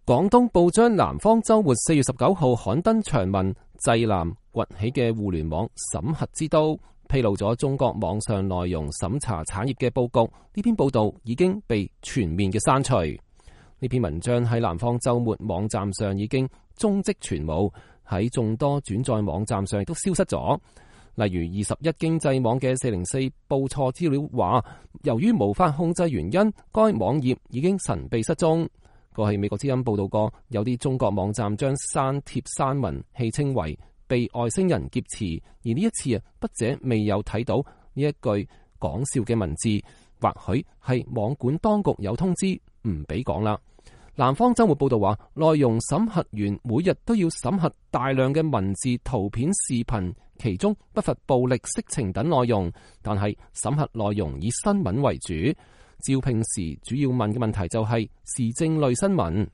廣東報章南方周末4月19號刊登長文濟南崛起嘅互聯網審核之都，披露咗中國網上內容審查產業嘅佈局。呢篇報道已經被全面嘅刪除。呢篇文章喺南方周末網站上已經蹤跡全無，喺眾多轉載網站上亦都消失咗。例如21經濟網嘅404報錯資料話，由於無法控制原因，該網頁已經神秘失蹤。過去美國之音報道過，有啲中國網站將刪帖刪文戲稱為被外星人劫持，而呢一次筆者未有睇到呢一句講笑嘅文字，或許係網管當局有通知唔俾講啦。南方周末報道話，內容審核員每日都要審核大量嘅文字、圖片、視頻，其中不乏暴力、色情等內容，但係審核內容以新聞為主。招聘時主要問嘅問題就係時政類新聞。